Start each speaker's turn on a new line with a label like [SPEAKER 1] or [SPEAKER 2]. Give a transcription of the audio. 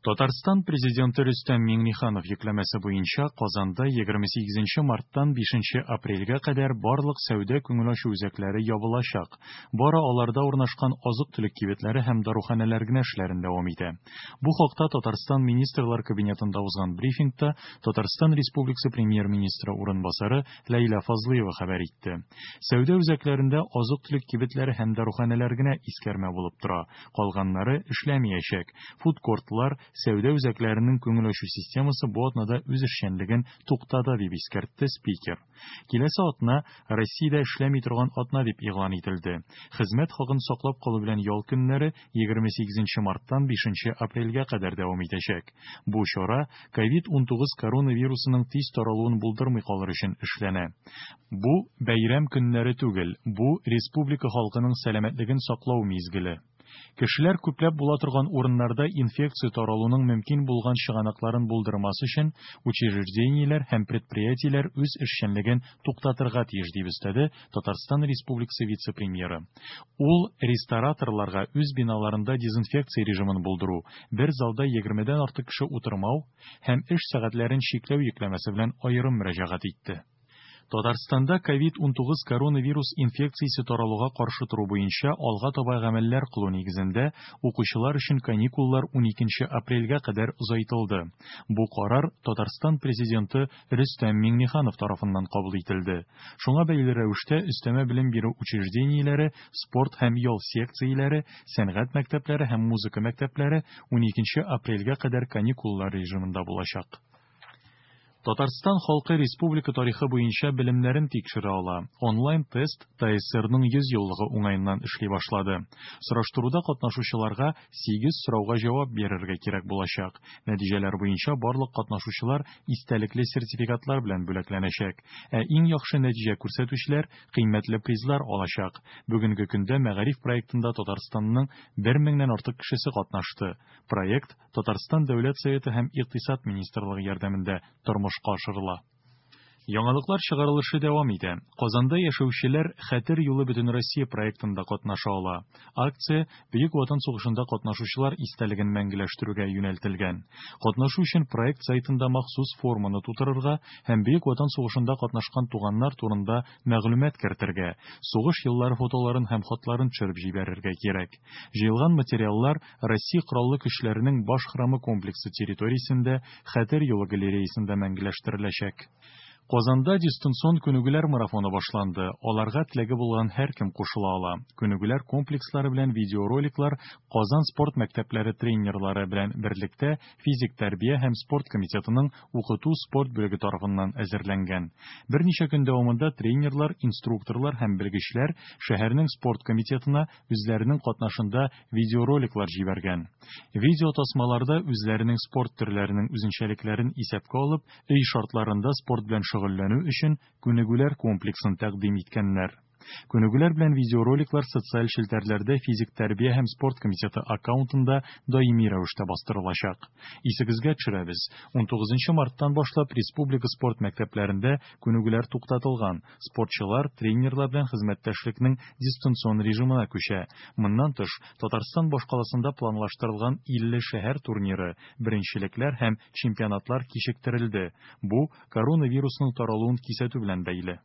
[SPEAKER 1] Татарстан Президенты Рөстәм Миңнеханов йөкләмәсе буенча Казанда 28 марттан 5 апрельгә кадәр барлык сәүдә-күңел ачу үзәкләре ябылачак. Бары аларда урнашкан азык-төлек кибетләре һәм даруханәләр генә эшләрен дәвам итә. Бу хакта Татарстан Министрлар Кабинетында узган брифингта Татарстан Республикасы Премьер-министры урынбасары Ләйлә Фазлыева хәбәр итте. Сәүдә үзәкләрендә азык-төлек кибетләре һәм даруханәләр генә искәрмә булып тора, калганнары эшләмиячәк. Фудкортлар, сәүдә үзәкләренең күңел ачу системасы бу атнада үз эшчәнлеген туктата, дип искәртте спикер. Киләсе атна Россиядә эшләми торган атна дип игълан ителде. Хезмәт хакын саклап калу белән ял көннәре 28 марттан 5 апрельгә кадәр дәвам итәчәк. Бу чара COVID-19 коронавирусының тиз таралуын булдырмый калыр өчен эшләнә. Бу, бәйрәм көннәре түгел, бу, республика халкының сәламәтлеген саклау мизгеле. Кешеләр күпләп була торган урыннарда инфекция таралуның мөмкин булган чыганакларын булдырмас өчен, учреждениеләр һәм предприятиеләр үз эшчәнлеген туктатырга тиеш, дип өстәде Татарстан Республикасы вице-премьеры. Ул рестораторларга үз биналарында дезинфекция режимын булдыру, бер залда егермедән артык кеше утырмау һәм эш сәгатьләрен чикләү йөкләмәсе белән аерым мөрәҗәгать итте. Татарстанда ковид-19 коронавирус инфекциясе таралуга каршы тору буенча алга таба гамәлләр кылу нигезендә укучылар өчен каникуллар 12 апрельгә кадәр озайтылды. Бу карар Татарстан Президенты Рөстәм Миңнеханов тарафыннан кабул ителде. Шуңа бәйле рәвештә өстәмә белем бирү учреждениеләре, спорт һәм ял секцияләре, сәнгать мәктәпләре һәм музыка мәктәпләре 12 апрельгә кадәр каникуллар режимында булачак. Татарстан халкы республика тарихы буенча белемнәрен тикшерә ала. Онлайн-тест ТАССРның 100 еллыгы уңаеннан эшли башлады. Сораштыруда катнашучыларга 8 сорауга җавап бирергә кирәк булачак. Нәтиҗәләр буенча барлык катнашучылар истәлекле сертификатлар белән бүләкләнәчәк. Ә иң яхшы нәтиҗә күрсәтүчеләр кыйммәтле призлар алачак. Бүгенге көндә Мәгариф проектында Татарстанның бер меңнән артык кешесе катнашты. Проект Татарстан Дәүләт Советы һәм Икътисад министрлыгы ярдәмендә тормышка ашырыла. Яңалыклар чыгарылышы дәвам итә. Казанда яшәүчеләр Хәтер юлы Бөтенроссия проектында катнаша ала. Акция Бөек Ватан сугышында катнашучылар истәлеген мәңгеләштерүгә юнәлтелгән. Катнашу өчен проект сайтында махсус форманы тутырырга һәм Бөек Ватан сугышында катнашкан туганнар турында мәгълүмат кертергә, сугыш еллары фотоларын һәм хатларын төшереп җибәрергә кирәк. Җыелган материаллар Россия Кораллы Көчләренең Баш храмы комплексы территориясендә Хәтер юлы галереясында мәңгеләштереләчәк. Казанда дистанцион күнегүләр марафоны башланды. Аларга теләге булган һәркем кушыла ала. Күнегүләр комплекслары белән видеороликлар Казан спорт мәктәпләре тренерлары белән берлектә физик тәрбия һәм спорт комитетының укыту-спорт бүлеге тарафыннан әзерләнгән. Берничә көн дәвамында тренерлар, инструкторлар һәм белгечләр шәһәрнең спорт комитетына үзләренең катнашында видеороликлар җибәргән. Видеотасмаларда үзләренең спорт төрләренең үзенчәлекләрен исәпкә алып, өй шартларында спорт белән шөгыльләнү өчен күнегүләр комплексын тәкъдим иткәннәр. Күнегүләр белән видеороликлар социаль челтәрләрдә физик тәрбия һәм спорт комитеты аккаунтында даими рәвештә бастырылачак. Исегезгә төшерәбез, 19 марттан башлап республика спорт мәктәпләрендә күнегүләр туктатылган, Спортчылар тренерлар белән хезмәттәшлекнең дистанцион режимына күчә. Моннан тыш, Татарстан башкаласында планлаштырылган 50 шәһәр турниры, беренчелекләр һәм чемпионатлар кичектерелде. Бу, коронавирусның таралуын кисәтү белән бәйле.